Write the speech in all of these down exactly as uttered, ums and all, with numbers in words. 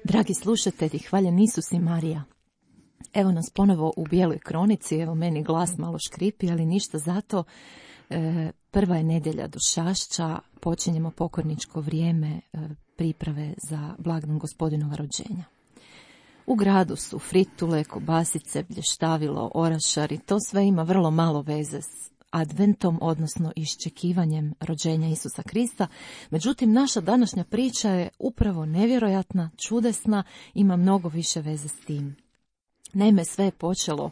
Dragi slušatelji, hvaljen Isus i Marija. Evo nas ponovo u Bijeloj kronici, evo meni glas malo škripi, ali ništa zato. E, prva je nedjelja Došašća, počinjemo pokorničko vrijeme e, priprave za blagdan Gospodinova rođenja. U gradu su fritule, kobasice, blještavilo, orašari, to sve ima vrlo malo veze s adventom, odnosno iščekivanjem rođenja Isusa Krista. Međutim, naša današnja priča je upravo nevjerojatna, čudesna, ima mnogo više veze s tim. Naime, sve je počelo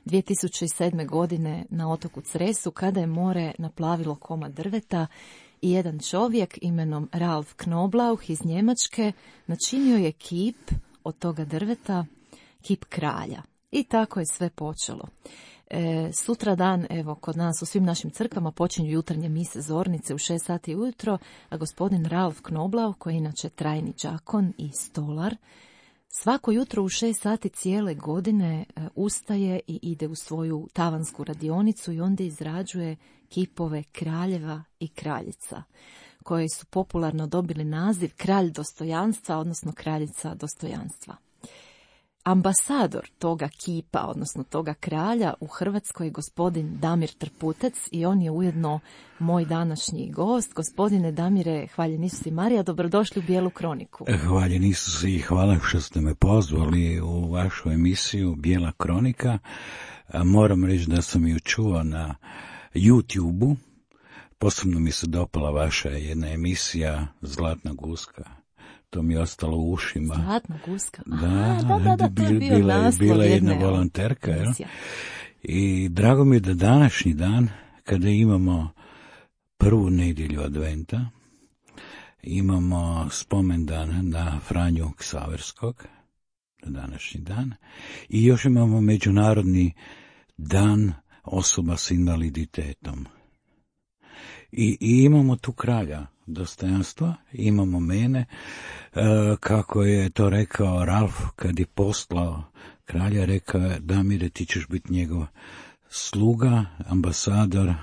dvije tisuće sedme. godine na otoku Cresu, kada je more naplavilo komad drveta i jedan čovjek imenom Ralf Knoblauch iz Njemačke načinio je kip od toga drveta, kip kralja. I tako je sve počelo. E, sutra dan, evo, kod nas u svim našim crkvama počinju jutarnje mise zornice u šest sati ujutro, a gospodin Ralf Knoblauch, koji je inače trajni đakon i stolar, svako jutro u šest sati cijele godine e, ustaje i ide u svoju tavansku radionicu i onda izrađuje kipove kraljeva i kraljica, koji su popularno dobili naziv kralj dostojanstva, odnosno kraljica dostojanstva. Ambasador toga kipa, odnosno toga kralja u Hrvatskoj je gospodin Damir Trputec i on je ujedno moj današnji gost. Gospodine Damire, hvaljen Isus i Marija, dobrodošli u Bijelu kroniku. Hvaljen Isus i hvala što ste me pozvali u vašu emisiju Bijela kronika. Moram reći da sam ju čuo na YouTube-u. Posebno mi se dopala vaša jedna emisija Zlatna guska. To mi je ostalo u ušima. Zlatna guska. Da, A, da, da, da, to je bio bila, naslov bila jedna jedne volonterka. Jel? emisija. I drago mi je da današnji dan, kada imamo prvu nedjelju adventa, imamo spomendan na Franju Ksaverskog, na današnji dan, i još imamo Međunarodni dan osoba s invaliditetom. I, i imamo tu kralja dostojanstva, imamo mene, e, kako je to rekao Ralf kad je poslao kralja, rekao je: Damire, ti ćeš biti njegov sluga, ambasador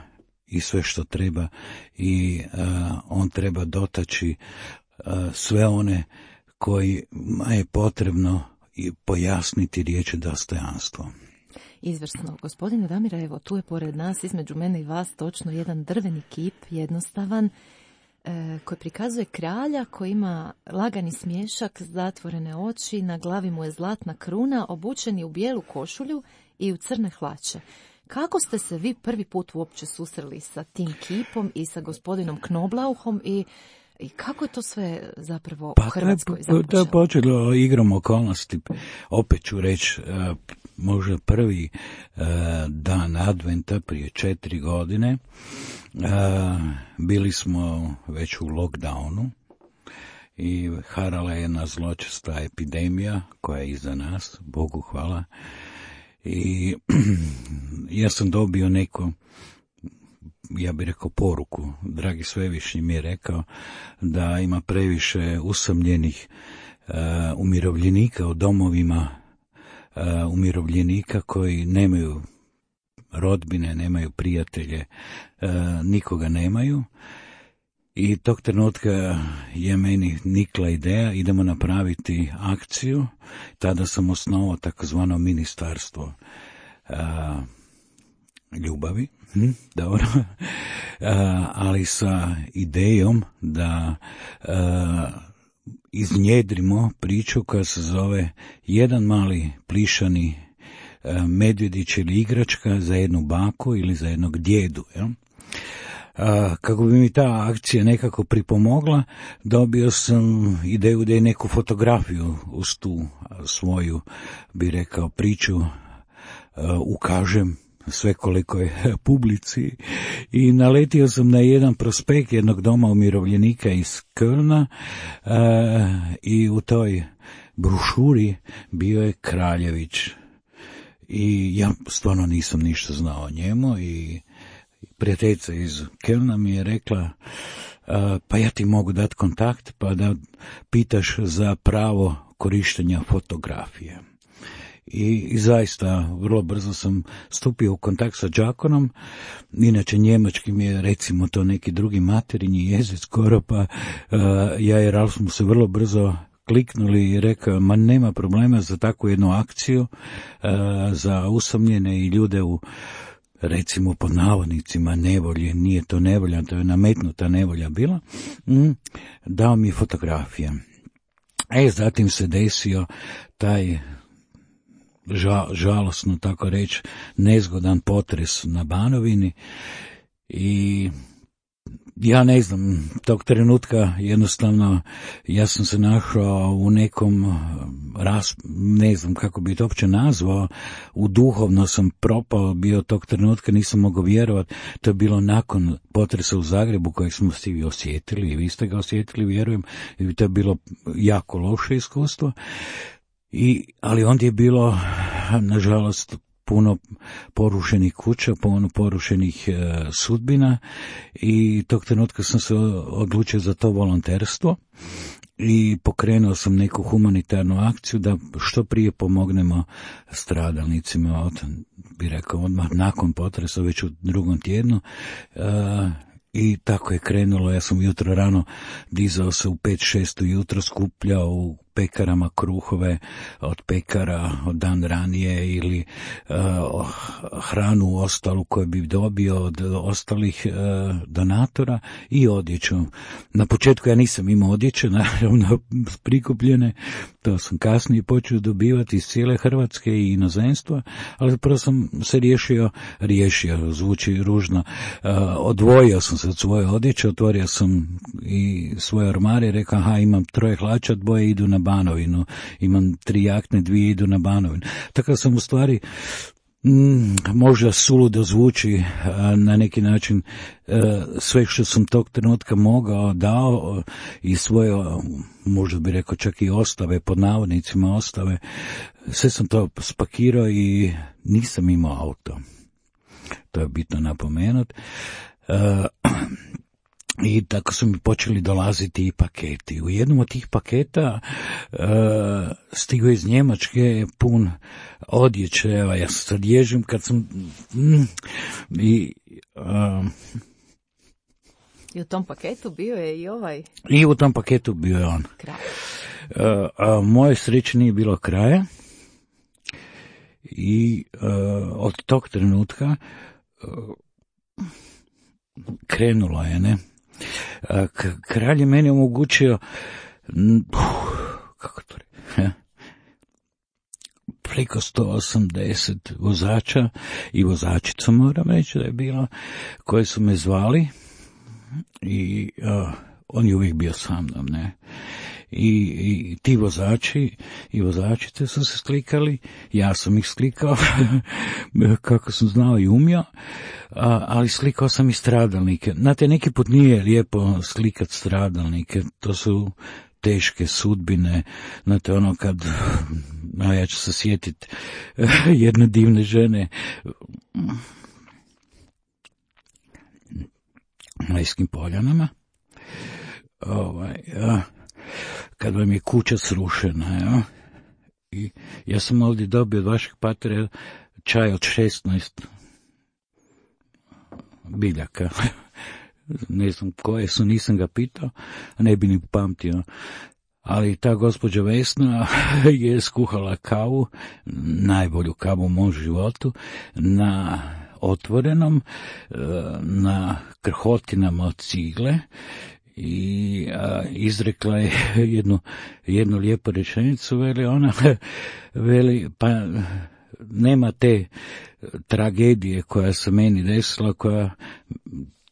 i sve što treba, i e, on treba dotaći e, sve one kojima je potrebno pojasniti riječi dostojanstvo. Izvrsno. Gospodine Damire, evo tu je pored nas, između mene i vas, točno jedan drveni kip, jednostavan, e, koji prikazuje kralja koji ima lagani smiješak, zatvorene oči, na glavi mu je zlatna kruna, obučen je u bijelu košulju i u crne hlače. Kako ste se vi prvi put uopće susreli sa tim kipom i sa gospodinom Knoblauchom i I kako je to sve zapravo pa, u Hrvatskoj započelo? To je počelo igrom okolnosti. Opet ću reći, možda prvi dan adventa prije četiri godine. Bili smo već u lockdownu i harala je jedna zločesta epidemija koja je iza nas, Bogu hvala. I ja sam dobio neko, ja bih rekao, poruku. Dragi Svevišnji mi je rekao da ima previše usamljenih uh, umirovljenika u domovima uh, umirovljenika koji nemaju rodbine, nemaju prijatelje, uh, nikoga nemaju. I tog trenutka je meni nikla ideja, idemo napraviti akciju. Tada sam osnovao takozvano ministarstvo uh, ljubavi. Hm, dobro, a, ali sa idejom da a, iznjedrimo priču koja se zove jedan mali plišani a, medvjedić ili igračka za jednu baku ili za jednog djedu. Jel? A, kako bi mi ta akcija nekako pripomogla, dobio sam ideju da je neku fotografiju uz tu svoju, bi rekao, priču ukažem sve koliko je publici i naletio sam na jedan prospekt jednog doma umirovljenika iz Kölna i u toj brošuri bio je Kraljević i ja stvarno nisam ništa znao o njemu i prijateljica iz Kölna mi je rekla pa ja ti mogu dati kontakt pa da pitaš za pravo korištenja fotografije. I, i zaista vrlo brzo sam stupio u kontakt sa đakonom, inače njemački mi je recimo to neki drugi materinji jezik skoro, pa uh, ja i Ralf smo se vrlo brzo kliknuli i rekao, ma nema problema za takvu jednu akciju, uh, za usamljene i ljude u recimo pod navodnicima nevolje, nije to nevolja, to je nametnuta nevolja bila, mm, dao mi fotografije. E, zatim se desio taj žal, žalosno tako reći, nezgodan potres na Banovini i ja ne znam, tog trenutka jednostavno ja sam se našao u nekom, ras, ne znam kako bi to uopće nazvao, u duhovno sam propao bio tog trenutka, nisam mogao vjerovati, to je bilo nakon potresa u Zagrebu kojeg smo svi osjetili i vi ste ga osjetili, vjerujem, i to je bilo jako loše iskustvo. I, ali onda je bilo, nažalost, puno porušenih kuća, puno porušenih e, sudbina i tog trenutka sam se odlučio za to volonterstvo i pokrenuo sam neku humanitarnu akciju da što prije pomognemo stradalnicima od, bi rekao, odmah nakon potresa, već u drugom tjednu. E, I tako je krenulo, ja sam jutro rano dizao se u pet šest ujutro, skupljao u pekarama kruhove od pekara od dan ranije ili uh, hranu ostalu koju bi dobio od ostalih uh, donatora i odjeću. Na početku ja nisam imao odjeće, naravno prikupljene, to sam kasnije počeo dobivati iz cijele Hrvatske i inozemstva, ali prvo sam se riješio, riješio, zvuči ružno, uh, odvojio sam se od svoje odjeće, otvorio sam i svoje ormare i rekao, aha, imam troje hlača, dvoje idu na Banovinu, imam tri jakne, dvije idu na Banovinu. Tako sam u stvari, mm, možda suludo zvuči a, na neki način, a, sve što sam tog trenutka mogao, dao i svoje, možda bi rekao čak i ostave, pod navodnicima ostave, sve sam to spakirao i nisam imao auto. To je bitno napomenuti. Uh, I tako su mi počeli dolaziti i paketi. U jednom od tih paketa uh, stigao iz Njemačke pun odjeće. Evo, ja se sad ježim kad sam... Mm, i, uh, I u tom paketu bio je i ovaj... I u tom paketu bio je on. Kraj. Uh, a moje sreće nije bilo kraja. I uh, od tog trenutka... Uh, krenulo je, ne? Kralj je meni omogućio, kako to reći, preko sto osamdeset vozača i vozačica, moram reći da je bilo, koji su me zvali i uh, on je uvijek bio sa mnom, ne? I, i ti vozači i vozačice su se slikali, ja sam ih slikao kako sam znao i umio, a, ali slikao sam i stradalnike. Znate, neki put nije lijepo slikat stradalnike, to su teške sudbine, znate, ono kad, a ja ću se sjetiti jedne divne žene na Iskim Poljanama, ovaj, a, kad vam je kuća srušena, ja? I ja sam ovdje dobio od vašeg patera čaj od šesnaest biljaka. Ne znam koje su, nisam ga pitao, ne bi ni pamtio. Ali ta gospođa Vesna je skuhala kavu, najbolju kavu u mom životu, na otvorenom, na krhotinama od cigle, i a, izrekla je jednu, jednu lijepu rečenicu, veli ona, veli, pa nema te tragedije koja se meni desila, koja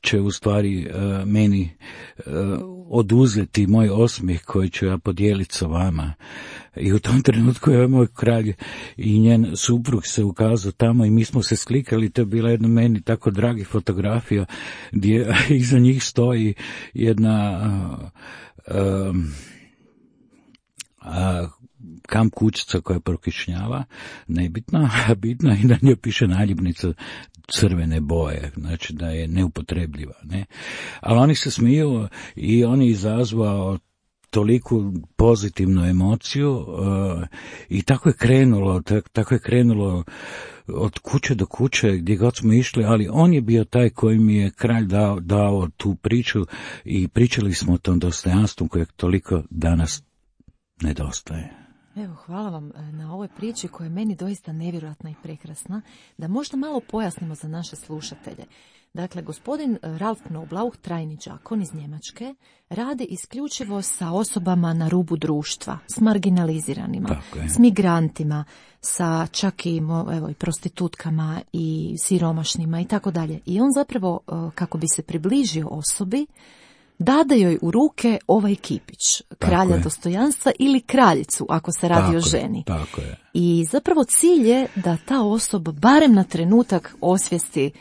će u stvari uh, meni uh, oduzeti moj osmijeh koji ću ja podijeliti sa vama. I u tom trenutku je moj kralj i njen suprug se ukazao tamo i mi smo se slikali, to je bila jedna meni tako dragi fotografija gdje iza njih stoji jedna uh, um, uh, kamp kućica koja prokišnjava, nebitna, a bitna i na njoj piše naljepnica crvene boje, znači da je neupotrebljiva, ne. Ali oni se smiju i on je izazvao toliku pozitivnu emociju uh, i tako je krenulo, tak, tako je krenulo od kuće do kuće gdje god smo išli, ali on je bio taj koji mi je kralj dao, dao tu priču i pričali smo o tom dostojanstvu kojeg toliko danas nedostaje. Evo, hvala vam na ovoj priči koja je meni doista nevjerojatna i prekrasna, da možda malo pojasnimo za naše slušatelje. Dakle, gospodin Ralf Knoblauch, trajni đakon iz Njemačke, radi isključivo sa osobama na rubu društva, s marginaliziranima, s migrantima, sa čak i, evo, i prostitutkama i siromašnima i tako dalje. I on zapravo, kako bi se približio osobi, dade joj u ruke ovaj kipić, kralja dostojanstva ili kraljicu, ako se radi tako o ženi. Je, tako je. I zapravo cilj je da ta osoba barem na trenutak osvijesti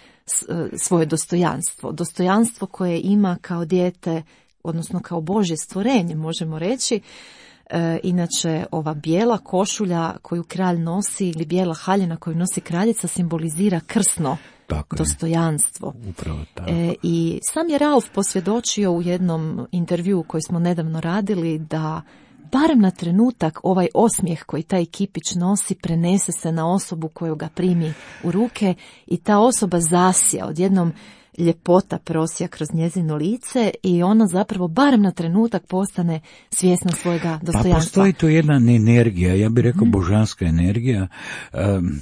svoje dostojanstvo. Dostojanstvo koje ima kao dijete, odnosno kao Božje stvorenje, možemo reći. E, inače, ova bijela košulja koju kralj nosi ili bijela haljina koju nosi kraljica simbolizira krsno tako dostojanstvo. Upravo tako. E, I sam je Ralf posvjedočio u jednom intervjuu koji smo nedavno radili da barem na trenutak ovaj osmijeh koji taj kipić nosi prenese se na osobu koju ga primi u ruke i ta osoba zasija, odjednom ljepota prosija kroz njezino lice i ona zapravo barem na trenutak postane svjesna svojega dostojanstva. Pa postoji tu jedna energija, ja bih rekao mm. božanska energija. Um,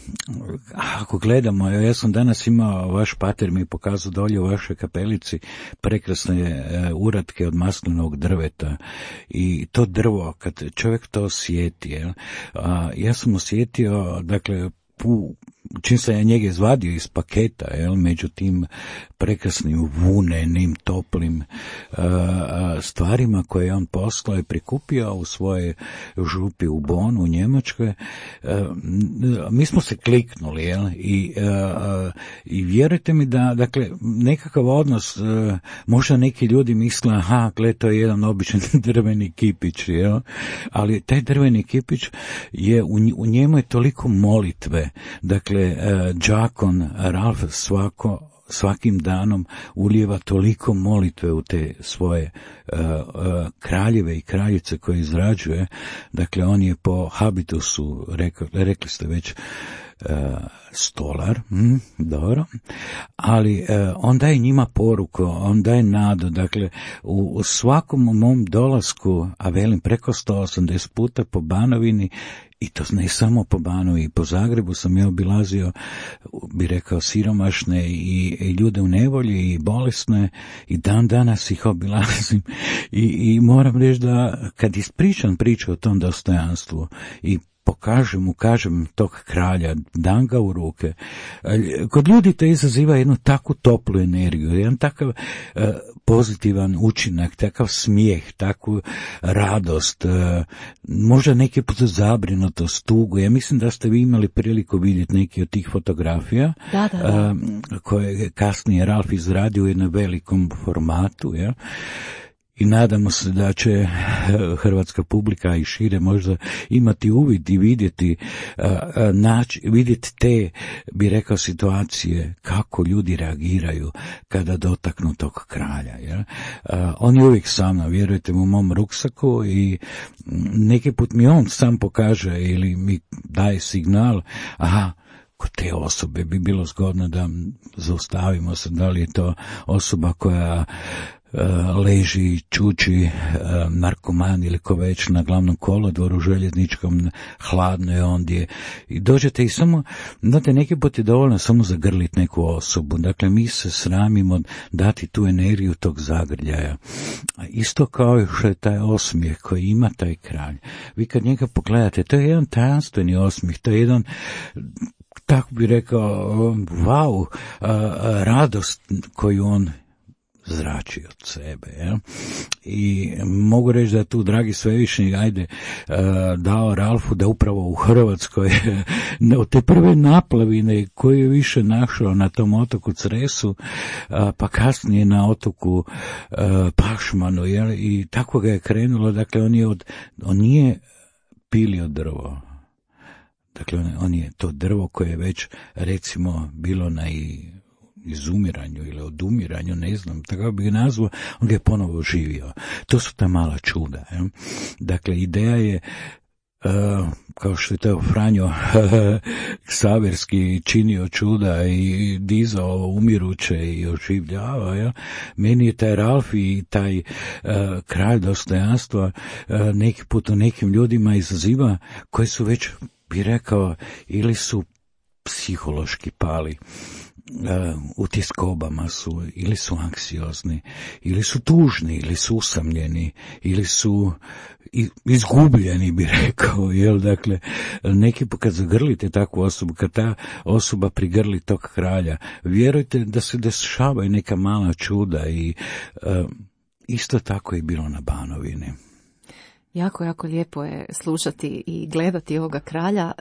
ako gledamo, ja sam danas imao, vaš pater mi pokazao dolje u vašoj kapelici prekrasne uh, uratke od maslinovog drveta i to drvo, kad čovjek to osjeti, jel? Uh, ja sam osjetio, dakle, pu, čim sam ja njega izvadio iz paketa, jel, među tim prekrasnim vunenim, toplim uh, stvarima koje je on poslao i prikupio u svoje župi u Bonu, u Njemačkoj, uh, mi smo se kliknuli, jel, i, uh, i vjerujte mi da, dakle, nekakav odnos, uh, možda neki ljudi misle, aha, gle, to je jedan običan drveni kipić, jel, ali taj drveni kipić je, u, u njemu je toliko molitve, dakle, đakon Ralf svako svakim danom ulijeva toliko molitve u te svoje uh, uh, kraljeve i kraljice koje izrađuje. Dakle, on je po habitusu, rekli, rekli ste već, uh, stolar, hm, dobro, ali uh, on daje njima poruku, on daje nadu. Dakle, u, u svakom mom dolasku, a velim preko sto osamdeset puta po Banovini, i to ne samo po Banovini, i po Zagrebu sam ja obilazio, bi rekao, siromašne i, i ljude u nevolji i bolesne i dan danas ih obilazim i, i moram reći da kad ispričam priču o tom dostojanstvu i pokažem, ukažem tog kralja, dam ga u ruke, kod ljudi to izaziva jednu takvu toplu energiju, jedan takav uh, pozitivan učinak, takav smijeh, takvu radost, uh, možda neki put zabrinutost, tugu. Ja mislim da ste vi imali priliku vidjeti neki od tih fotografija, da, da, da. Uh, koje je kasnije Ralf izradio u jednom velikom formatu, ja. I nadamo se da će hrvatska publika i šire možda imati uvid i vidjeti, naći, vidjeti te, bi rekao, situacije kako ljudi reagiraju kada dotaknu tog kralja. Ja? On je uvijek sa mnom, vjerujte mu, u mom ruksaku i neki put mi on sam pokaže ili mi daje signal, aha, kod te osobe bi bilo zgodno da zaustavimo se, da li je to osoba koja leži, čuči, narkoman ili ko već na glavnom kolodvoru željezničkom, hladno je ondje i dođete i samo, znate, neki put je dovoljno samo zagrliti neku osobu. Dakle, mi se sramimo dati tu energiju tog zagrljaja. Isto kao što je taj osmijeh koji ima taj kralj. Vi kad njega pogledate, to je jedan tajanstveni osmijeh, to je jedan, tako bi rekao, wow, radost koju on zrači od sebe. Ja? I mogu reći da je tu dragi svevišnji, ajde, dao Ralfu da upravo u Hrvatskoj od te prve naplavine koje je više našao na tom otoku Cresu, pa kasnije na otoku Pašmanu, jel? I tako ga je krenulo. Dakle, on je od, on nije pilio drvo. Dakle, on, on je to drvo koje je već, recimo, bilo na i izumiranju ili odumiranju, ne znam, tako bi ga nazvao, on ga je ponovo oživio. To su ta mala čuda. Je? Dakle, ideja je, uh, kao što je to Franjo Ksaverski činio čuda i dizao umiruće i oživljavao, ja? Meni je taj Ralf i taj uh, kralj dostojanstva uh, neki put u nekim ljudima izaziva, koji su već, bi rekao, ili su psihološki pali, Uh, u tiskobama su, ili su anksiozni, ili su tužni, ili su usamljeni, ili su izgubljeni, bi rekao, jel, dakle, neki put kad zagrlite takvu osobu, kad ta osoba prigrli tog kralja, vjerujte da se dešavaju neka mala čuda i uh, isto tako je bilo na Banovini. Jako, jako lijepo je slušati i gledati ovoga kralja.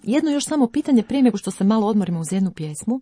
Jedno još samo pitanje prije nego što se malo odmorimo uz jednu pjesmu.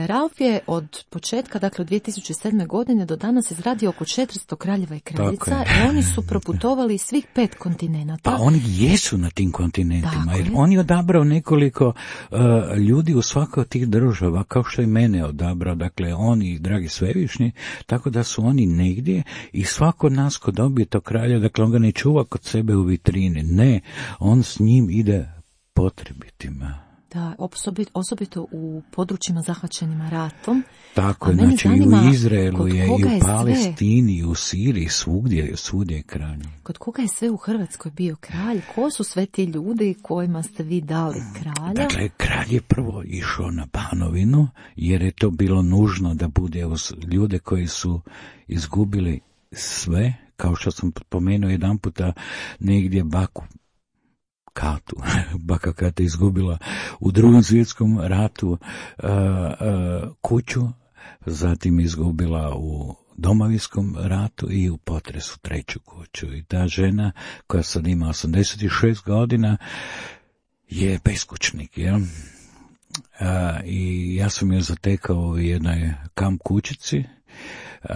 Ralf je od početka, dakle od dvije tisuće sedme. godine do danas izradio oko četiristo kraljeva i kraljica i oni su proputovali svih pet kontinenata. Pa oni jesu na tim kontinentima, jer on je odabrao nekoliko uh, ljudi u svakoj od tih država, kao što je mene odabrao, dakle oni, dragi svevišnji, tako da su oni negdje i svako od nas ko dobije to kralja, dakle on ga ne čuva kod sebe u vitrini, ne, on s njim ide potrebitima. Da, osobito, osobito u područjima zahvaćenima ratom. Tako je, znači i u Izraelu je, i u Palestini, i u Siriji, svugdje, svugdje je kralj. Kod koga je sve u Hrvatskoj bio kralj? Ko su sve ti ljudi kojima ste vi dali kralja? Dakle, kralj je prvo išao na Banovinu, jer je to bilo nužno da bude uz ljude koji su izgubili sve, kao što sam pomenuo jedan puta negdje baku, Katu, baka Kata izgubila u drugom svjetskom ratu uh, uh, kuću, zatim izgubila u Domovinskom ratu i u potresu treću kuću. I ta žena, koja sad ima osamdeset šest godina, je beskućnik, jel? Uh, I ja sam je zatekao u jednoj kamp kućici.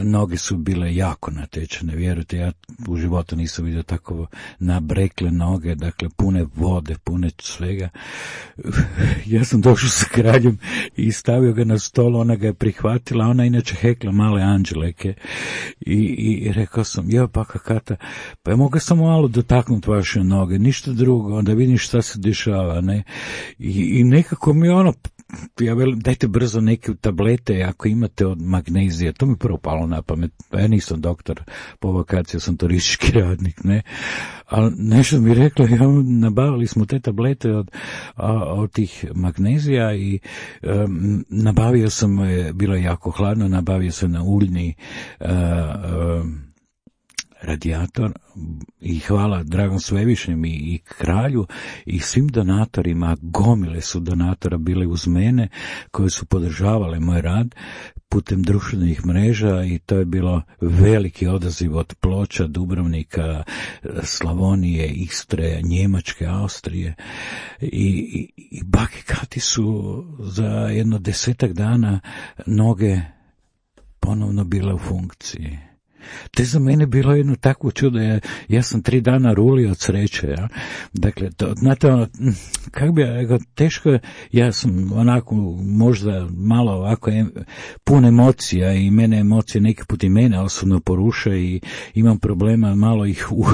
Noge su bile jako natečene, vjerujte, ja u životu nisam vidio tako nabrekle noge, dakle pune vode, pune svega. Ja sam došao sa kraljem i stavio ga na stol, ona ga je prihvatila, ona inače hekla male anđeleke i, i rekao sam, joj baka Kata, pa ja mogu samo malo dotaknuti vaše noge, ništa drugo, onda vidim šta se dešava, ne, i, i nekako mi ono, ja velim, dajte brzo neke tablete ako imate od magnezija, to mi prvo palo na pamet, ja nisam doktor po vakaciji, ja sam turistički radnik, ne, ali nešto mi rekla, ja, nabavili smo te tablete od, od tih magnezija i um, nabavio sam, bilo je jako hladno, nabavio sam na uljni uh, um, radijator i hvala dragom svevišnjem i, i kralju i svim donatorima, gomile su donatora bile uz mene koje su podržavale moj rad putem društvenih mreža i to je bilo veliki odaziv od Ploča, Dubrovnika, Slavonije, Istre, Njemačke, Austrije i, i, i baki Kati su za jedno desetak dana noge ponovno bile u funkciji. To je za mene bilo jedno takvo čudo, ja, ja sam tri dana rulio od sreće, ja. Dakle, to, znate, ono, kako bi ja, teško, ja sam onako možda malo ovako em, pun emocija i mene emocije neki put i mene osobno poruše i imam problema malo ih u,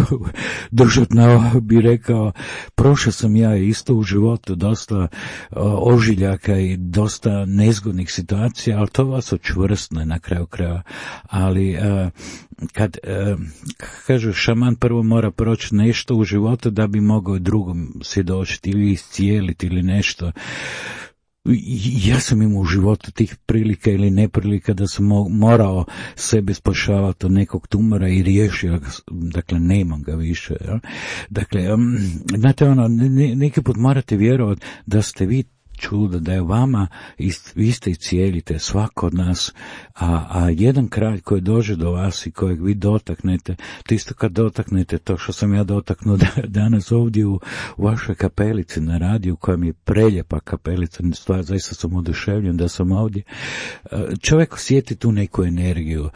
držati na, bi rekao, prošao sam ja isto u životu dosta o, ožiljaka i dosta nezgodnih situacija, ali to vas očvrstne na kraju kraja, ali a, kad e, kaže šaman prvo mora proći nešto u životu da bi mogao drugom svjedočiti ili iscijeliti ili nešto. Ja sam imao u životu tih prilika ili neprilika da sam morao sebe spašavati od nekog tumora i riješio, dakle nemam ga više. Ja? Dakle, um, znate ono, ne, neki put morate vjerovati da ste vi čudo, da je vama, ist, vi ste i cijelite, svako od nas, a, a jedan kralj koji dođe do vas i kojeg vi dotaknete, to isto kad dotaknete to što sam ja dotaknuo danas ovdje u, u vašoj kapelici na radiju, koja mi je preljepa kapelica, stvar, zaista sam oduševljen da sam ovdje. Čovjek osjeti tu neku energiju,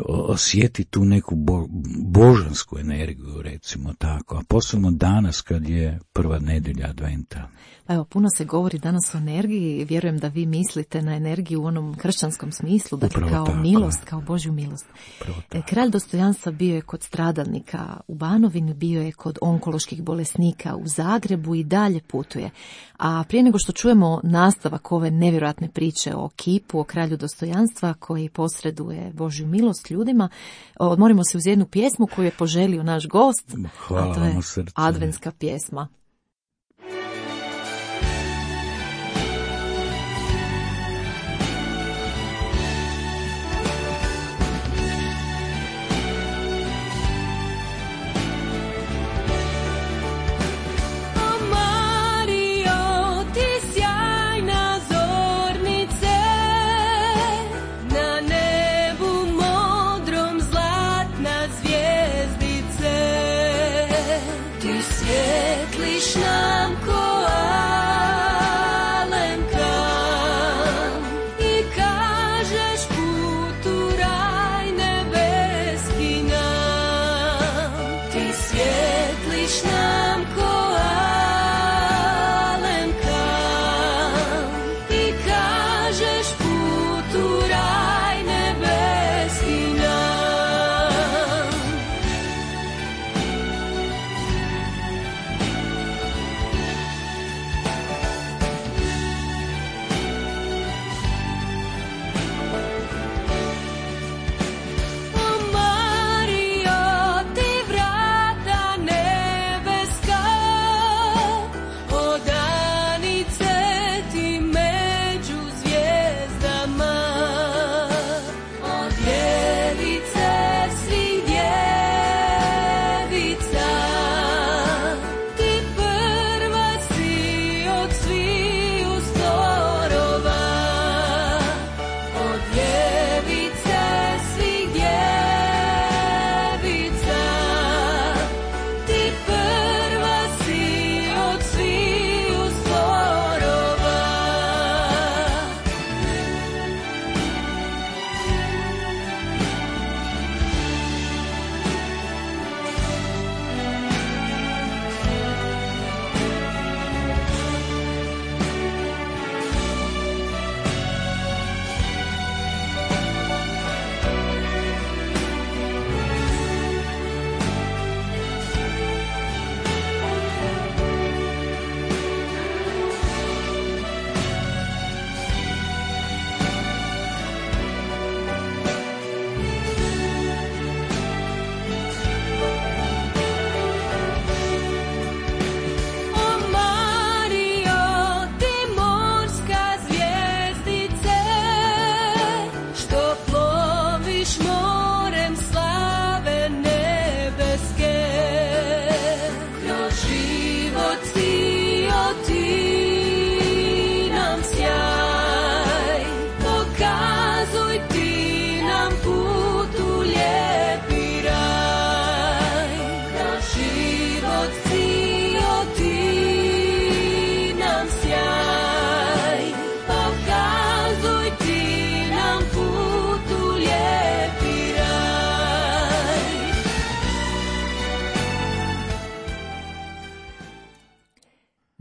osjeti tu neku bo, božansku energiju, recimo tako, a posebno danas kad je prva nedjelja adventa. Evo, puno se govori danas o energiji, vjerujem da vi mislite na energiju u onom kršćanskom smislu, dakle Upravo kao tako, milost, kao Božju milost. Kralj dostojanstva bio je kod stradalnika u Banovini, bio je kod onkoloških bolesnika u Zagrebu i dalje putuje. A prije nego što čujemo nastavak ove nevjerojatne priče o kipu, o kralju dostojanstva koji posreduje Božju milost ljudima, odmorimo se uz jednu pjesmu koju je poželio naš gost, Hvala, a to je srce. adventska pjesma.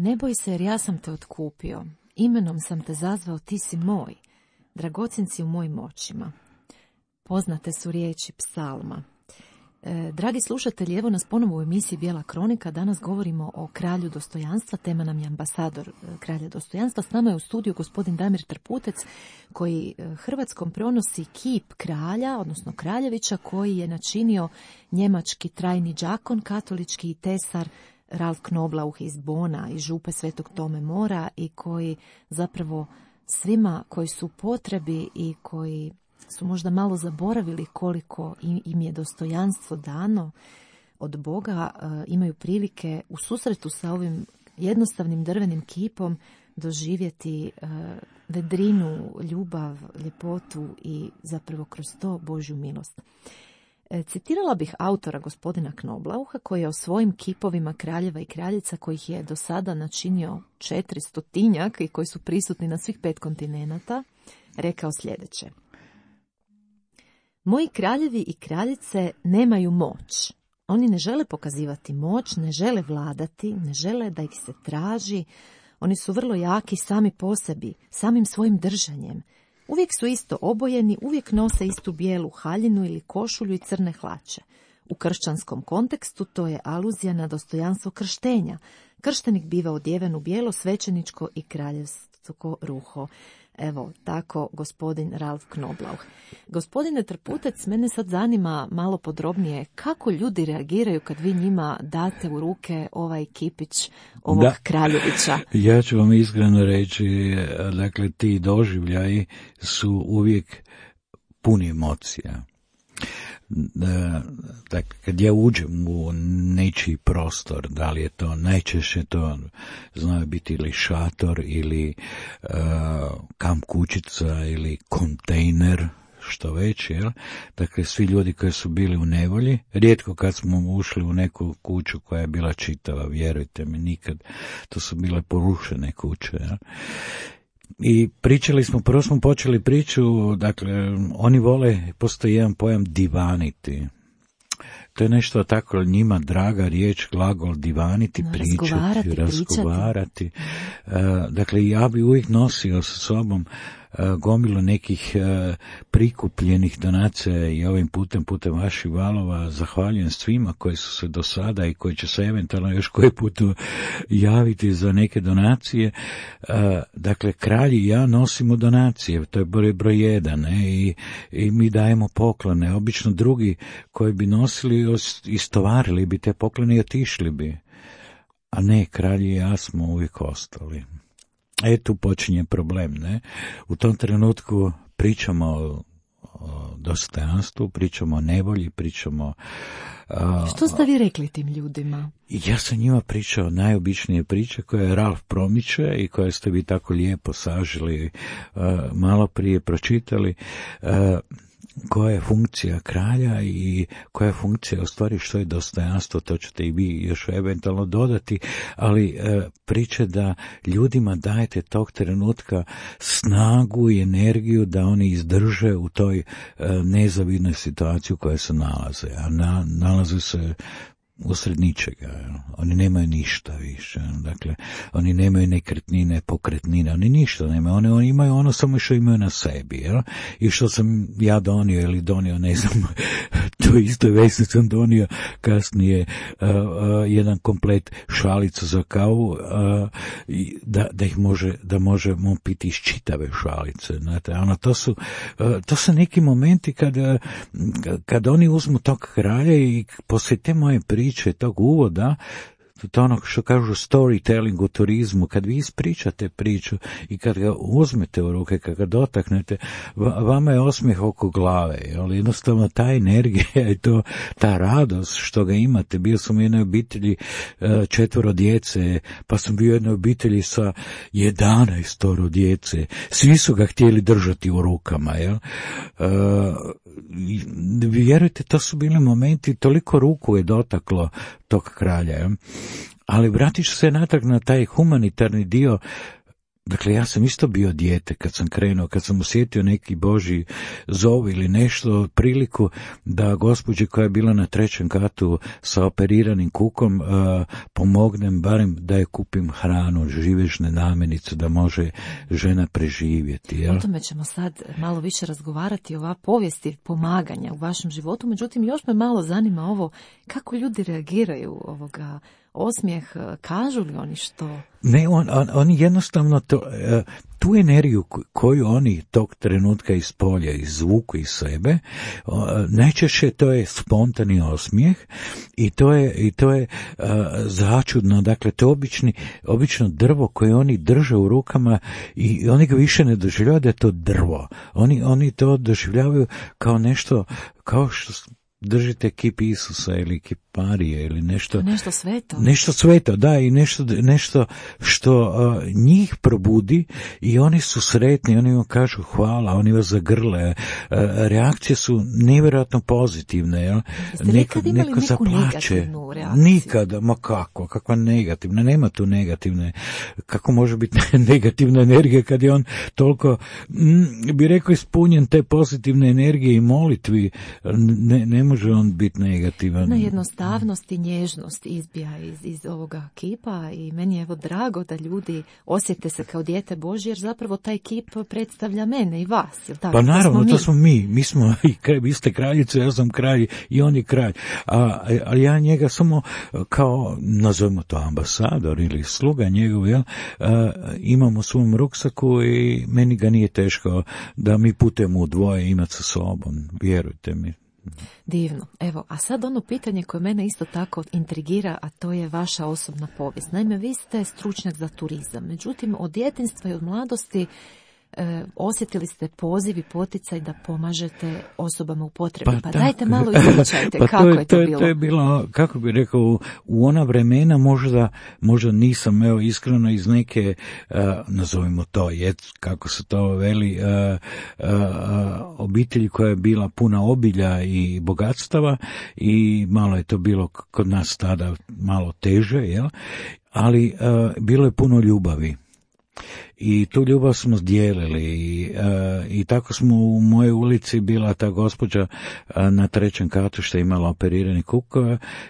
Ne boj se jer ja sam te otkupio, imenom sam te zazvao, ti si moj, dragocjen si u mojim očima. Poznate su riječi psalma. E, dragi slušatelji, evo nas ponovo u emisiji Bijela kronika. Danas govorimo o kralju dostojanstva. Tema nam je ambasador e, kralja dostojanstva. S nama je u studiju gospodin Damir Trputec, koji e, Hrvatskom prenosi kip kralja, odnosno kraljevića, koji je načinio njemački trajni đakon, katolički tesar Ralf Knoblauch iz Bona, iz župe Svetog Tome Mora, i koji zapravo svima koji su u potrebi i koji su možda malo zaboravili koliko im je dostojanstvo dano od Boga, imaju prilike u susretu sa ovim jednostavnim drvenim kipom doživjeti uh, vedrinu, ljubav, ljepotu i zapravo kroz to Božju milost. E, citirala bih autora gospodina Knoblaucha koji je o svojim kipovima kraljeva i kraljica kojih je do sada načinio četiristotinjak i koji su prisutni na svih pet kontinenata rekao sljedeće. Moji kraljevi i kraljice nemaju moć. Oni ne žele pokazivati moć, ne žele vladati, ne žele da ih se traži. Oni su vrlo jaki sami po sebi, samim svojim držanjem. Uvijek su isto obojeni, uvijek nose istu bijelu haljinu ili košulju i crne hlače. U kršćanskom kontekstu to je aluzija na dostojanstvo krštenja. Krštenik biva odjeven u bijelo, svećeničko i kraljevsko ruho. Evo, tako gospodin Ralf Knoblauch. Gospodine Trputec, mene sad zanima malo podrobnije kako ljudi reagiraju kad vi njima date u ruke ovaj kipić ovog da. Kraljevića. Ja ću vam iskreno reći, dakle, ti doživljaji su uvijek puni emocija. Dakle, kad ja uđem u nečiji prostor, da li je to najčešće to znaju biti ili šator ili uh, kamp kućica ili kontejner, što već, jel? Dakle, svi ljudi koji su bili u nevolji, rijetko kad smo ušli u neku kuću koja je bila čitava, vjerujte mi, nikad, to su bile porušene kuće, jel? I pričali smo, prvo smo počeli priču, dakle, oni vole, postoji jedan pojam divaniti. To je nešto tako njima draga riječ, glagol divaniti, no, pričati, razgovarati. razgovarati. Uh, dakle, ja bi uvijek nosio sa sobom uh, gomilu nekih uh, prikupljenih donacija i ovim putem, putem vaših valova zahvaljujem svima koji su se do sada i koji će se eventualno još koji put javiti za neke donacije. Uh, dakle, kralj i ja nosimo donacije, to je broj, broj jedan, ne? I, i mi dajemo poklone. Obično drugi koji bi nosili istovarili bi te poklone i otišli bi. A ne, kralj i ja smo uvijek ostali. E, tu počinje problem, ne? U tom trenutku pričamo o, o dostojanstvu, pričamo o nevolji, pričamo... A, što ste vi rekli tim ljudima? Ja sam njima pričao najobičnije priče koje je Ralf promiče i koje ste vi tako lijepo sažili, a, malo prije pročitali. A, koja je funkcija kralja i koja je funkcija, u stvari što je dostojanstvo, to ćete i vi još eventualno dodati, ali e, priče da ljudima dajete tog trenutka snagu i energiju da oni izdrže u toj e, nezavidnoj situaciji u kojoj se nalaze, a na, nalaze se usred ničega. Oni nemaju ništa više. Dakle, oni nemaju nekretnine, pokretnine, oni ništa nemaju. Oni, oni imaju ono samo što imaju na sebi. Jel? I što sam ja donio ili donio, ne znam, to isto već sam donio kasnije uh, uh, jedan komplet šalica za kavu, uh, da, da ih može, da možemo piti iz čitave šalice. Znate, ono, to su, uh, to su neki momenti kada, kad oni uzmu tog kralja i poslije te moje priče tog uvoda, to ono što kažu storytelling u turizmu, kad vi ispričate priču i kad ga uzmete u ruke, kad ga dotaknete, vama je osmijeh oko glave, ali jednostavno ta energija i to, ta radost što ga imate. Bio sam u jednoj obitelji četvoro djece, pa sam bio u jednoj obitelji sa jedanaestoro djece. Svi su ga htjeli držati u rukama, jel? Vjerujte, to su bili momenti, toliko ruku je dotaklo tog kralja, jel? Ali vratit ću se natrag na taj humanitarni dio. Dakle, ja sam isto bio dijete kad sam krenuo, kad sam osjetio neki Božji zov ili nešto, priliku da gospođi koja je bila na trećem katu sa operiranim kukom uh, pomognem, barem da je kupim hranu, živežne namirnice, da može žena preživjeti. Jel? O tome ćemo sad malo više razgovarati, ova povijesti pomaganja u vašem životu, međutim još me malo zanima ovo, kako ljudi reagiraju ovoga osmijeh, kažu li oni što? Ne, on, on, oni jednostavno to, tu energiju koju oni tog trenutka iz polja izvuku iz sebe, najčešće to je spontani osmijeh i to je, i to je uh, začudno, dakle to je obični, obično drvo koje oni drže u rukama i oni ga više ne doživljavaju da je to drvo. Oni, oni to doživljavaju kao nešto, kao što držite kip Isusa ili kip Marije ili nešto. Nešto sveto. Nešto sveto, da, i nešto, nešto što uh, njih probudi i oni su sretni, oni vam kažu hvala, oni vas zagrle. Uh, reakcije su nevjerojatno pozitivne. Jel? Jeste li kad imali neku zaplače. Negativnu reakciju? Nikada, ma kako, kakva negativna, nema tu negativne. Kako može biti negativna energija kad je on toliko, mm, bi rekao, ispunjen te pozitivne energije i molitvi, ne, ne može on biti negativan. Na jednostavnost i nježnost izbija iz, iz ovoga kipa i meni je evo drago da ljudi osjete se kao dijete Božje, jer zapravo taj kip predstavlja mene i vas. Jel tako? Pa naravno, to smo mi. To smo mi. Mi smo, vi ste kraljice, ja sam kralj i on je kralj. A, a ja njega samo kao, nazovimo to ambasador ili sluga njegov, jel, a, imam u svom ruksaku i meni ga nije teško da mi putujemo u dvoje imati sa sobom, vjerujte mi. Divno. Evo, a sad ono pitanje koje mene isto tako intrigira, a to je vaša osobna povijest. Naime, vi ste stručnjak za turizam, međutim, od djetinjstva i od mladosti E, osjetili ste poziv i poticaj da pomažete osobama u potrebi. Pa, pa dajte malo ispričajte pa kako to je, je to, to je bilo. To je bilo, kako bih rekao, u ona vremena možda, možda nisam, evo, iskreno iz neke, uh, nazovimo to, je, kako se to veli, uh, uh, obitelji koja je bila puna obilja i bogatstava i malo je to bilo kod nas tada malo teže, jel? Ali uh, bilo je puno ljubavi. I tu ljubav smo dijelili i, uh, i tako smo u mojoj ulici bila ta gospođa uh, na trećem katu što je imala operirani kuk,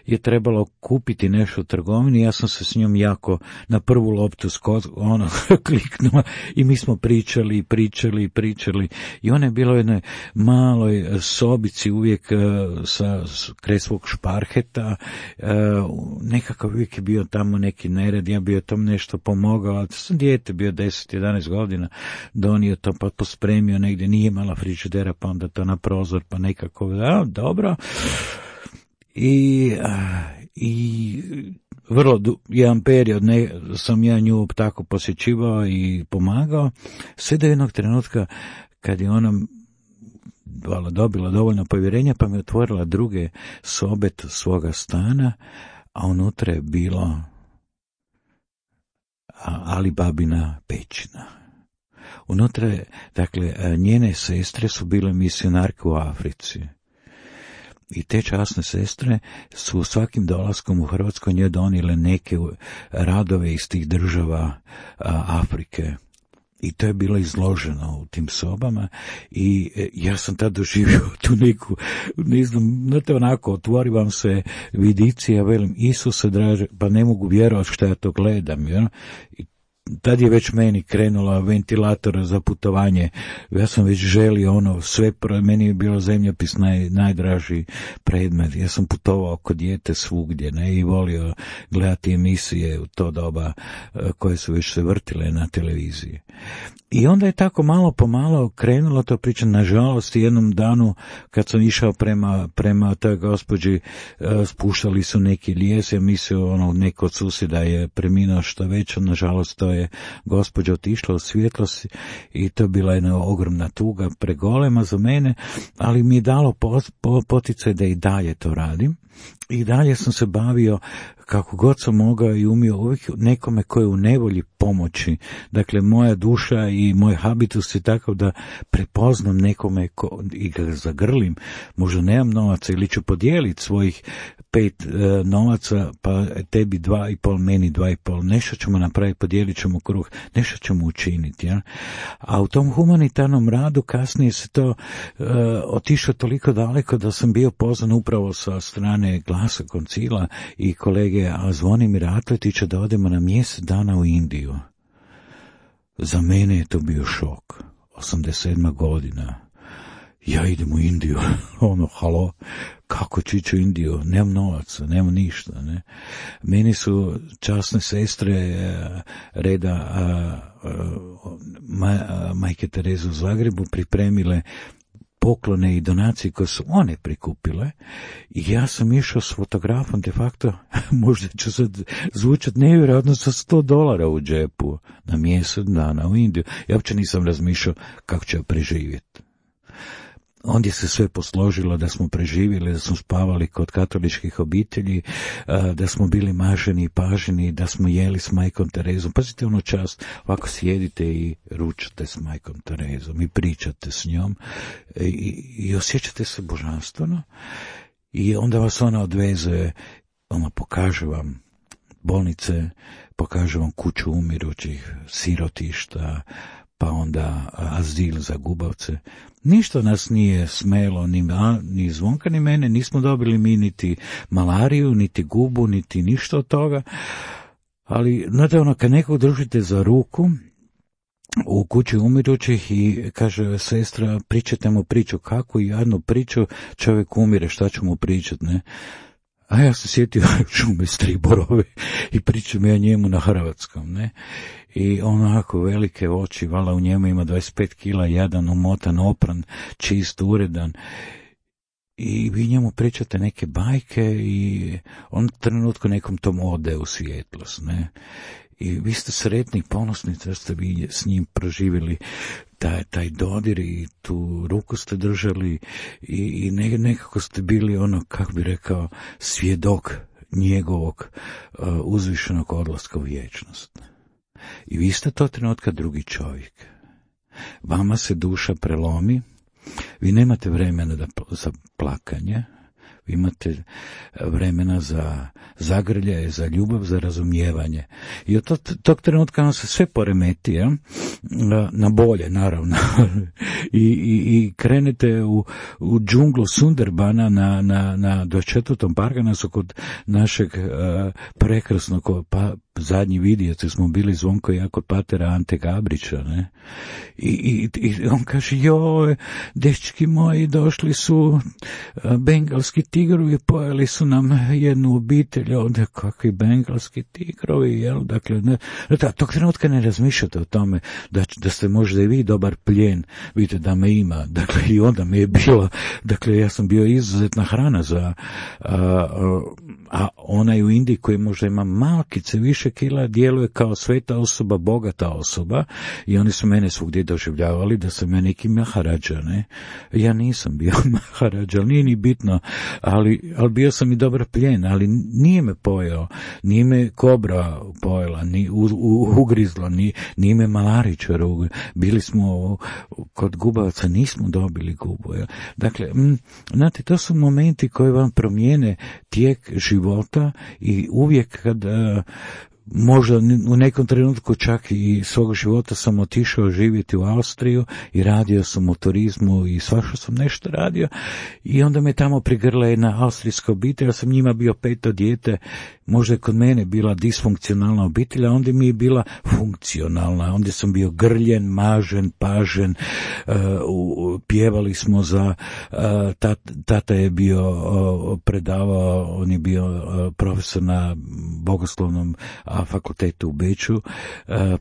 je trebalo kupiti nešto u trgovini, ja sam se s njom jako na prvu loptu skod, ono, kliknula i mi smo pričali, pričali, pričali i ona je bila u jednoj maloj sobici uvijek uh, sa kraj svog šparheta, uh, nekakav uvijek je bio tamo neki nered, ja bio tam nešto pomogao, ali sam dijete bio deset jedanaest godina, donio to pa pospremio negdje, nije imala frižidera pa onda to na prozor pa nekako, da, dobro. I, i vrlo du, jedan period ne, sam ja nju tako posjećivao i pomagao, sve do jednog trenutka kad je ona vala, dobila dovoljno povjerenja pa mi otvorila druge sobe svoga stana, a unutra je bilo Ali babina pećina. Unutra je, dakle, njene sestre su bile misionarke u Africi. I te časne sestre su svakim dolaskom u Hrvatskoj njoj donijele neke radove iz tih država a, Afrike. I to je bilo izloženo u tim sobama i ja sam tad doživio tu neku, ne znam, znate onako, otvori vam se vidici, ja velim, Isuse draže, pa ne mogu vjerovati što ja to gledam, jel? I tad je već meni krenula ventilator za putovanje, ja sam već želio ono, sve, meni je bilo zemljopis naj, najdraži predmet, ja sam putovao kod dijete svugdje, ne, i volio gledati emisije u to doba koje su već se vrtile na televiziji. I onda je tako malo po malo krenulo to priča, nažalost, jednom danu kad sam išao prema, prema toj gospođi, spuštali su neki lijes, ja mislio, ono, neko od susjeda je preminuo što već, nažalost to je gospođa otišla u svjetlost i to je bila jedna ogromna tuga, pregolema za mene, ali mi je dalo poticaj da i dalje to radim. I dalje sam se bavio kako god sam mogao i umio uvijek nekome koji je u nevolji pomoći. Dakle, moja duša i moj habitus je takav da prepoznam nekome ko, i ga zagrlim. Možda nemam novaca ili ću podijeliti svojih pet e, novaca, pa tebi dva i pol, meni dva i pol. Nešto ćemo napraviti, podijelit ćemo kruh, nešto ćemo učiniti. Ja? A u tom humanitarnom radu kasnije se to e, otišlo toliko daleko da sam bio pozvan upravo sa strane Glasa koncila i kolege Zvonimira Atletića da odemo na mjesec dana u Indiju. Za mene je to bio šok. osamdeset sedma godina. Ja idem u Indiju. Ono, halo, kako ću ići u Indiju? Nemam novaca, nemam ništa. Ne? Meni su časne sestre reda a, a, ma, a, Majke Tereze u Zagrebu pripremile poklone i donacije koje su one prikupile i ja sam išao s fotografom de facto, možda ću sad zvučati nevjerojatno, sa sto dolara u džepu na mjesec dana u Indiju. Ja uopće nisam razmišljao kako ću ja preživjeti. ondje se sve posložilo da smo preživjeli, da smo spavali kod katoličkih obitelji, da smo bili maženi i paženi, da smo jeli s majkom Terezom. Pazite ono čast, ovako sjedite i ručate s majkom Terezom i pričate s njom i, i osjećate se božanstveno i onda vas ona odveze, ona pokaže vam bolnice, pokaže vam kuću umirućih, sirotišta, pa onda azil za gubavce. Ništa nas nije smelo, ni, ni Zvonka, ni mene, nismo dobili mi niti malariju, niti gubu, niti ništa od toga, ali, znate, ono, kad nekog držite za ruku u kući umirućih i kaže sestra, pričajte mu priču, kako i jednu priču, čovjek umire, šta ću mu pričat, ne? A ja sam sjetio Šume Striborove i pričam ja njemu na hrvatskom, ne? I onako velike oči, vala u njemu ima dvadeset pet kila, jadan, umotan, opran, čist, uredan. I vi njemu pričate neke bajke i on trenutku nekom tom ode u svjetlost, ne? I vi ste sretni, ponosni da ste vi s njim proživjeli taj, taj dodir i tu ruku ste držali i, i ne, nekako ste bili ono, kako bi rekao, svjedok njegovog uh, uzvišenog odlaska u vječnost. I vi ste to trenutka drugi čovjek. Vama se duša prelomi, vi nemate vremena da, za plakanje, vi imate vremena za zagrljaje, za ljubav, za razumijevanje. I od tog, tog trenutka vam se sve poremeti, ja? Na bolje, naravno. I, i, i krenete u, u džunglu Sunderbana na, na, na dvadeset četvrtom Parganasu kod našeg uh, prekrasnog pa, zadnji vidjeti smo bili Zvonko i ja kod patera Ante Gabrića, ne? I, i, i on kaže, joj, dečki moji, došli su uh, bengalski tigrovi, pojeli su nam jednu obitelj, ovdje kakvi bengalski tigrovi, jel? Dakle, ne, da, tog trenutka ne razmišljate o tome da, da ste možda i vi dobar plijen, vidite da me ima, dakle i onda mi je bilo, dakle ja sam bio izuzetna hrana za, a, a, a onaj u Indiji koji možda ima malkice više kila, djeluje kao sveta osoba, bogata osoba i oni su mene svugdje doživljavali da sam ja neki maharadža, ne? Ja nisam bio maharadža, nije ni bitno, ali, ali bio sam i dobar plijen, ali nije me pojeo, nije me kobra pojela, ni u, u, ugrizla, ni, nije me malaričar, bili smo kod gubavaca, nismo dobili gubu. Ja. Dakle, m, znate, to su momenti koji vam promijene tijek života i uvijek kad uh, možda u nekom trenutku čak i svog života sam otišao živjeti u Austriju i radio sam u turizmu i svašta sam nešto radio i onda me tamo prigrla jedna austrijska obitelj, ja sam njima bio peto dijete, možda je kod mene bila disfunkcionalna obitelj, a onda mi je bila funkcionalna, onda sam bio grljen, mažen, pažen, uh, pjevali smo za, uh, tat, tata je bio uh, predavao, on je bio uh, profesor na bogoslovnom a fakultetu u Beču, uh,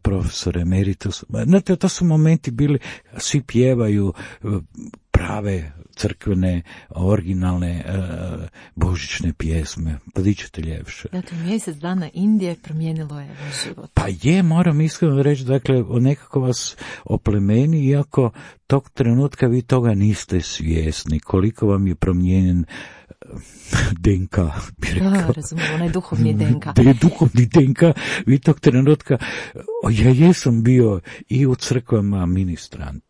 profesor emeritus. Znate, to su momenti bili, svi pjevaju uh, prave crkvene, originalne uh, božićne pjesme. Pa di ćete ljepše. Dakle, mjesec dana Indije promijenilo je vaš život. Pa je, moram iskreno reći, dakle, nekako vas oplemeni, iako tog trenutka vi toga niste svjesni, koliko vam je promijenjen D N K, bi rekao. Da, razumijem, onaj duhovni D N K. Da je duhovni D N K, vi tog trenutka, ja jesam bio i u crkvama ministrant.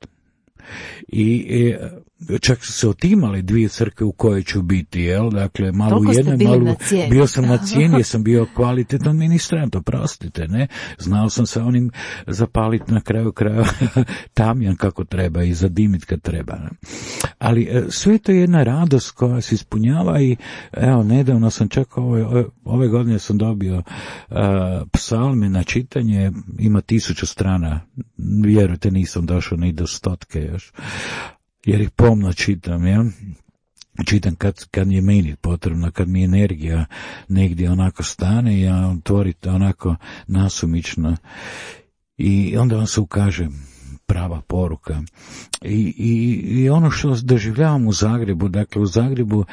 I e, čak su se otimali dvije crkve u kojoj ću biti, jel? Dakle, malo u jednoj, malo na bio sam na cijeni, jer sam bio kvalitetan ministrant, oprostite, ne? Znao sam sa onim zapaliti na kraju kraja tamjan kako treba i zadimit kad treba, ne? Ali e, sve to je jedna radost koja se ispunjava i evo, nedavno sam čak ove, ove, ove godine sam dobio uh, psalme na čitanje, ima tisuću strana, vjerujte nisam došao ni do stotke još, jer ih pomno čitam, ja? Čitam kad, kad je meni potrebno, kad mi energija negdje onako stane, ja otvorite onako nasumično i onda vam se ukaže prava poruka. I, i, i ono što doživljavam u Zagrebu, dakle u Zagrebu uh,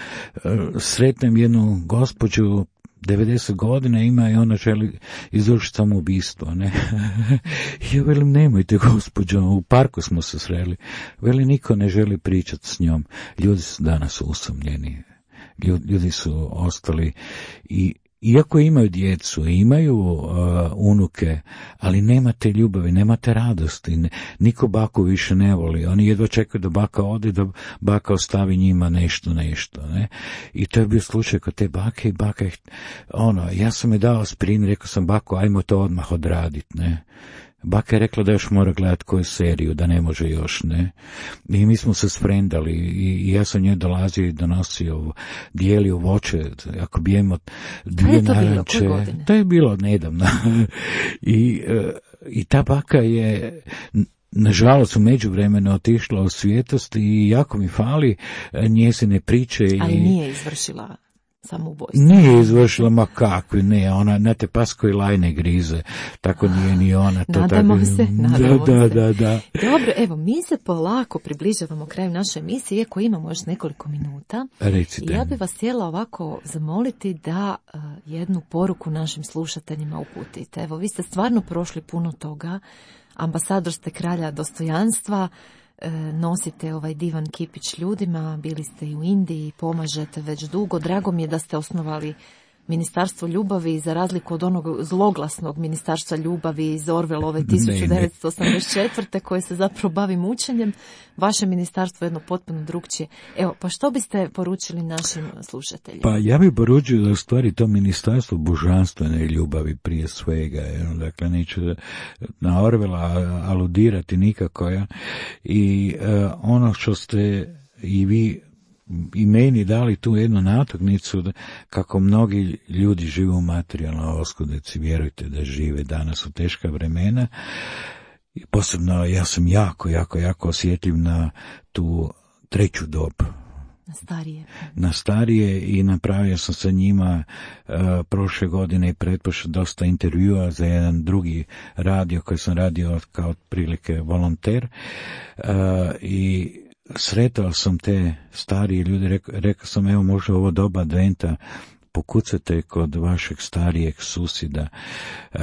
sretnem jednu gospođu devedeset godina ima i ona želi izvršiti samoubistvo, ne. Ja velim, nemojte gospođo, u parku smo se sreli. Veli, niko ne želi pričati s njom. Ljudi su danas usamljeni. Ljudi su ostali i iako imaju djecu, imaju uh, unuke, ali nemate ljubavi, nemate radosti, ne, niko baku više ne voli, oni jedva čekaju da baka ode, da baka ostavi njima nešto, nešto, ne, i to je bio slučaj kod te bake i baka je, ono, ja sam je dao aspirin, rekao sam, bako, ajmo to odmah odradit, ne. Baka je rekla da još mora gledati koju seriju, da ne može još, ne. I mi smo se sprendali i, i ja sam njoj dolazio i donosio, dijelio voće, ako bi jemo dvije naranče. To je bilo nedavno. I, i ta baka je, nažalost, u međuvremenu otišla u svijetost i jako mi fali njezine priče. Ali i, nije izvršila samoubojstvo. Nije izvršila, ma kakvi, ne, ona, znate, pas koji lajne grize, tako nije ni ona. To nadamo tako, se, nadamo da, se. Da, da. Dobro, evo, mi se polako približavamo kraju naše emisije, iako imamo još nekoliko minuta. Recite. Ja bih vas htjela ovako zamoliti da uh, jednu poruku našim slušateljima uputite. Evo, vi ste stvarno prošli puno toga, ambasador ste kralja dostojanstva, nosite ovaj divan kipić ljudima, bili ste i u Indiji, pomažete već dugo. Drago mi je da ste osnovali Ministarstvo ljubavi, za razliku od onog zloglasnog Ministarstva ljubavi iz Orwellove tisuću devetsto osamdeset četvrte koje se zapravo bavi mučenjem. Vaše ministarstvo je jedno potpuno drugčije. Evo, pa što biste poručili našim slušateljima? Pa ja bih poručio da u stvari to ministarstvo božanstvene ljubavi prije svega. Dakle, neću na Orwella aludirati nikako. Ja. I uh, ono što ste i vi i meni dali tu jednu natuknicu da, kako mnogi ljudi žive u materijalnoj oskudici, vjerujte da žive danas u teška vremena. I posebno ja sam jako, jako, jako osjetljiv na tu treću dob. Na starije. Na starije i napravio sam sa njima uh, prošle godine i pretpošle dosta intervjua za jedan drugi radio koji sam radio kao otprilike volonter uh, i sretao sam te starije ljude, rekao, rekao sam, evo možda ovo doba adventa pokucate kod vašeg starijeg susjeda, uh,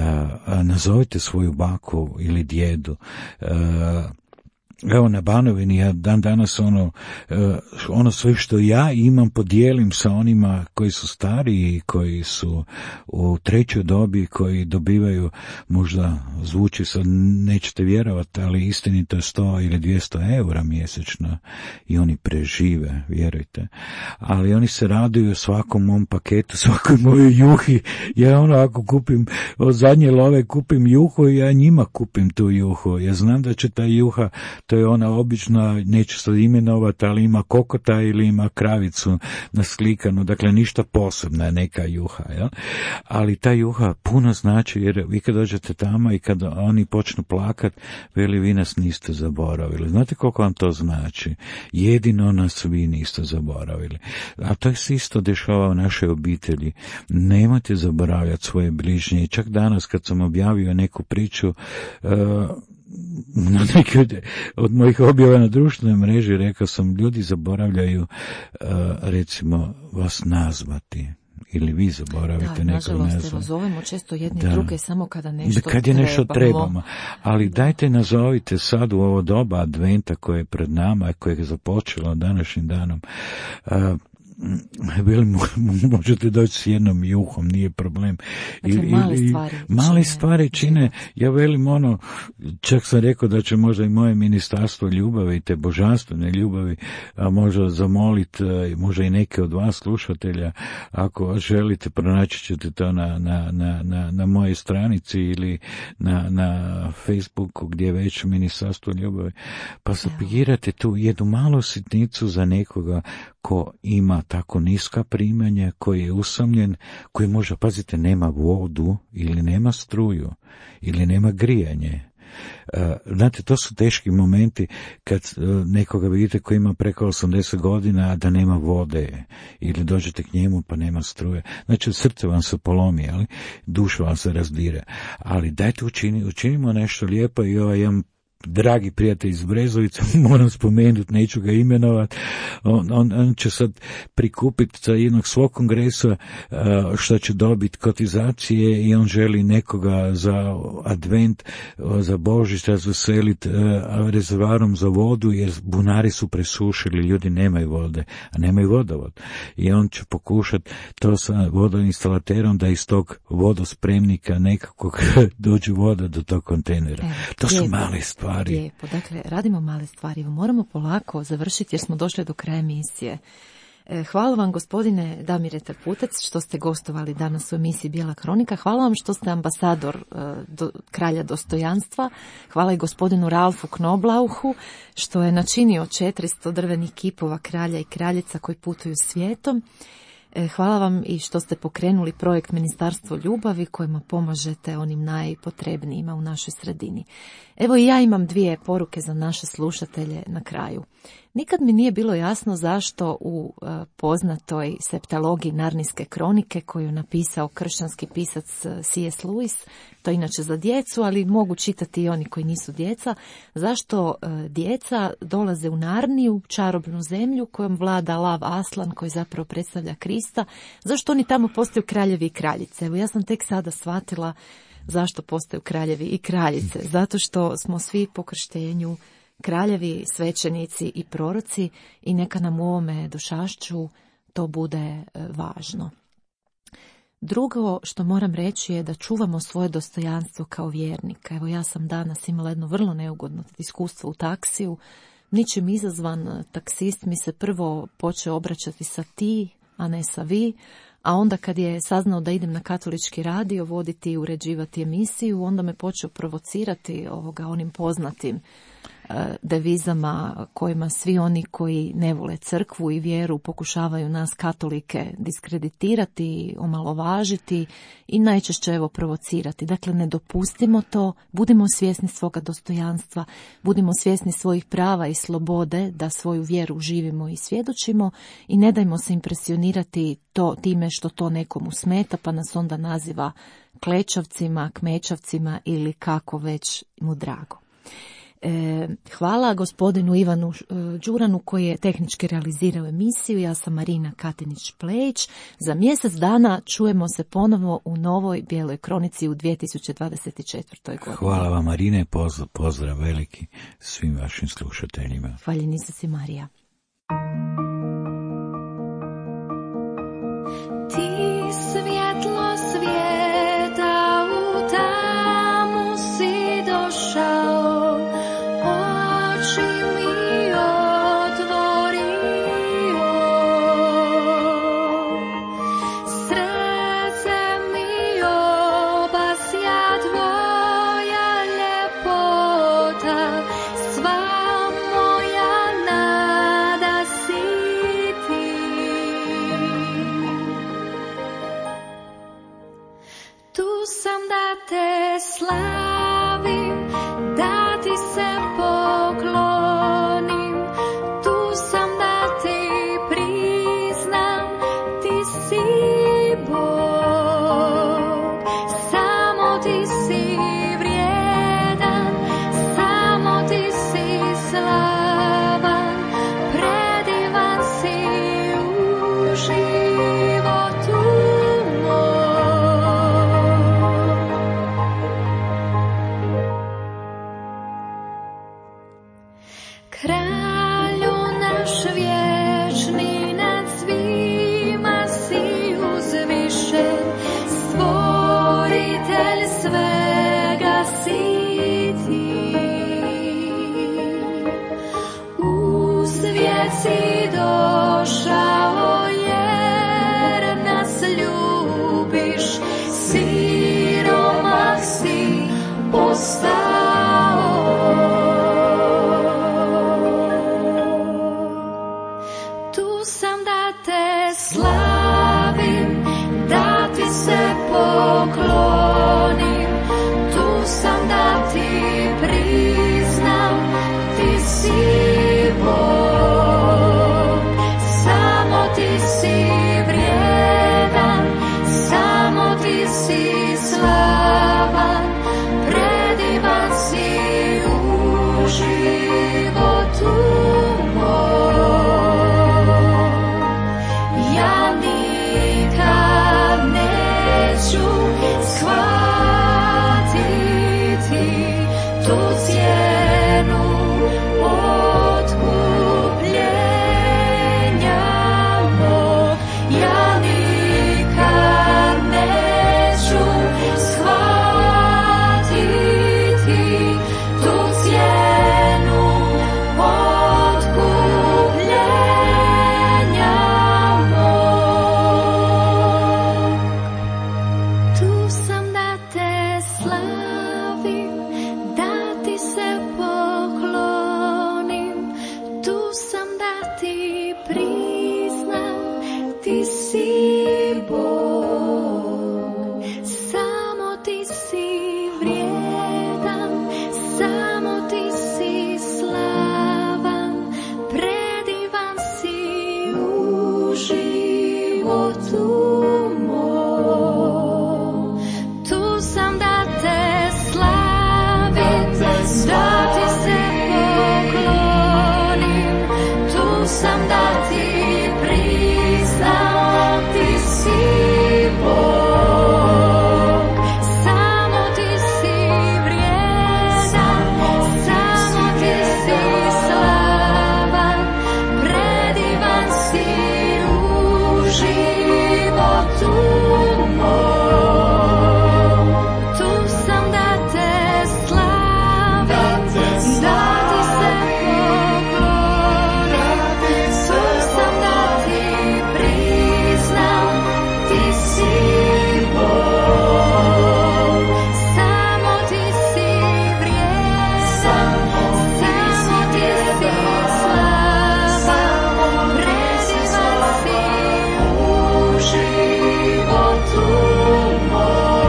nazovite svoju baku ili djedu, uh, evo na Banovini ja dan danas ono, ono sve što ja imam podijelim sa onima koji su stariji, koji su u trećoj dobi, koji dobivaju, možda zvuči sad, nećete vjerovati, ali istinito je sto ili dvjesto eura mjesečno i oni prežive, vjerujte. Ali oni se raduju svakom mom paketu, svakoj mojoj juhi. Ja ono, ako kupim od zadnje love kupim juhu, ja njima kupim tu juhu. Ja znam da će ta juha, to je ona obična, neću sad imenovati, ali ima kokota ili ima kravicu naslikanu, dakle ništa posebna, neka juha, jel? Ali ta juha puno znači, jer vi kad dođete tamo i kad oni počnu plakat, veli, vi nas niste zaboravili. Znate koliko vam to znači? Jedino nas vi niste zaboravili. A to se isto dešava u našoj obitelji. Nemojte zaboravljati svoje bližnje. I čak danas kad sam objavio neku priču, uh, na neke od, od mojih objava na društvenoj mreži, rekao sam, ljudi zaboravljaju uh, recimo vas nazvati. Ili vi zaboravite da, nekog nazvati. Nažalost, zovemo često jedni da. druge samo kada nešto da, kad je nešto trebamo. Ali dajte nazovite sad u ovo doba adventa koje je pred nama, koje je započelo današnjim danom. Uh, Bili, možete doći s jednom juhom, nije problem. Dakle, I, male i, stvari male čine. stvari čine. Ja velim ono, čak sam rekao da će možda i moje ministarstvo ljubavi, te božanstvene ljubavi, a možda zamoliti, možda i neke od vas slušatelja, ako želite, pronaći ćete to na, na, na, na, na moje stranici ili na, na Facebooku gdje je već ministarstvo ljubavi, pa sapigirate tu jednu malu sitnicu za nekoga ko ima tako niska primanja, koji je usamljen, koji možda, pazite, nema vodu ili nema struju ili nema grijanje. Znate, to su teški momenti kad nekoga vidite koji ima preko osamdeset godina, a da nema vode, ili dođete k njemu pa nema struje. Znači, srce vam se polomi, ali duša vam se razdire. Ali dajte učini, učinimo nešto lijepo i ovaj jedan dragi prijatelj iz Brezovica, moram spomenuti, neću ga imenovati, on, on, on će sad prikupiti za jednog svog kongresa što će dobiti kotizacije i on želi nekoga za advent, za Božić razveseliti rezervarom za vodu, jer bunari su presušili, ljudi nemaju vode, a nemaju vodovod. I on će pokušati to sa vodoinstalaterom da iz tog vodospremnika nekako dođe voda do tog kontejnera. Evo, to su lijepo, male stvari. Lijepo, dakle, radimo male stvari. Moramo polako završiti jer smo došli do kraja emisije. Hvala vam, gospodine Damire Trputec, što ste gostovali danas u emisiji Bijela kronika. Hvala vam što ste ambasador do, kralja dostojanstva. Hvala i gospodinu Ralfu Knoblauchu što je načinio četiristo drvenih kipova kralja i kraljica koji putuju svijetom. Hvala vam i što ste pokrenuli projekt Ministarstvo ljubavi kojima pomažete onim najpotrebnijima u našoj sredini. Evo i ja imam dvije poruke za naše slušatelje na kraju. Nikad mi nije bilo jasno zašto u uh, poznatoj septalogiji Narnijske kronike koju je napisao kršćanski pisac C S Lewis, to je inače za djecu, ali mogu čitati i oni koji nisu djeca, zašto uh, djeca dolaze u Narniju, čarobnu zemlju kojom vlada lav Aslan koji zapravo predstavlja Krista, zašto oni tamo postaju kraljevi i kraljice. Evo ja sam tek sada shvatila zašto postaju kraljevi i kraljice, zato što smo svi po krštenju kraljevi, svećenici i proroci i neka nam u ovome došašću to bude važno. Drugo što moram reći je da čuvamo svoje dostojanstvo kao vjernika. Evo ja sam danas imala jedno vrlo neugodno iskustvo u taksiju. Ničim izazvan taksist mi se prvo počeo obraćati sa ti, a ne sa vi, a onda kad je saznao da idem na katolički radio voditi i uređivati emisiju, onda me počeo provocirati ovoga onim poznatim devizama kojima svi oni koji ne vole crkvu i vjeru pokušavaju nas katolike diskreditirati, omalovažiti i najčešće evo provocirati. Dakle, ne dopustimo to, budimo svjesni svoga dostojanstva, budimo svjesni svojih prava i slobode da svoju vjeru živimo i svjedočimo i ne dajmo se impresionirati to time što to nekomu smeta pa nas onda naziva klečavcima, kmečavcima ili kako već mu drago. Hvala gospodinu Ivanu Đuranu koji je tehnički realizirao emisiju. Ja sam Marina Katinić-Plejić. Za mjesec dana čujemo se ponovo u novoj Bijeloj kronici u dvije tisuće dvadeset četvrtoj godini. Hvala vam Marine, pozdrav, pozdrav veliki svim vašim slušateljima. Hvaljen Isus i Marija. Ti svjetlo svijeta u tamu si došao, te slavim, da ti se poklonim, tu sam da ti priznam, ti si Bog, samo ti si vrijedan, samo ti si slavan, predivan si u životu moj. Kralju naš vječni, nad svima si uzvišen, stvoritelj svega si ti. U svijet si došao jer nas ljubiš, siromah si postao. Slavim, da ti se poklonim, tu sam da ti priznam, ti si Bog. sam da ti priznam, ti si Bog, samo ti si vrijedan, samo ti si slavan, predivan si u životu mom. Tu sam da te slavim, da ti se poklonim, tu sam da ti priznam, ti si Bog, samo ti si vrijedan, samo ti si slavan, predivan si u životu mom.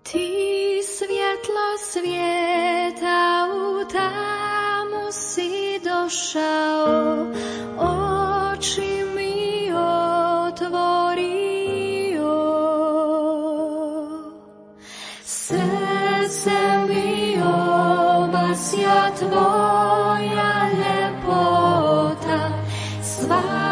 Ti svjetlo svijeta, u tamu si došao, oči mi otvorio, srce mi obasja tvoja ljepota, sva